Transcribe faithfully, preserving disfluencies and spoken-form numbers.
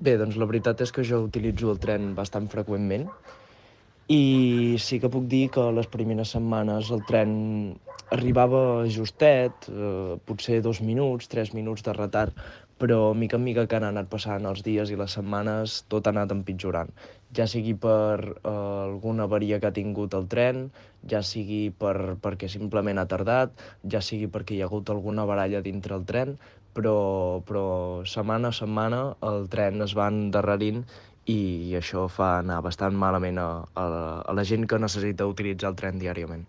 Bé, doncs la veritat és que jo utilitzo el tren bastant freqüentment i sí que puc dir que les primeres setmanes el tren arribava justet, eh, potser dos minuts, tres minuts de retard, però mica en mica que han anat passant els dies i les setmanes tot ha anat empitjorant. Ja sigui per eh, alguna avaria que ha tingut el tren, ja sigui per, perquè simplement ha tardat, ja sigui perquè hi ha hagut alguna baralla dintre el tren, però, però setmana a setmana el tren es va endarrerint i això fa anar bastant malament a, a, la, a la gent que necessita utilitzar el tren diàriament.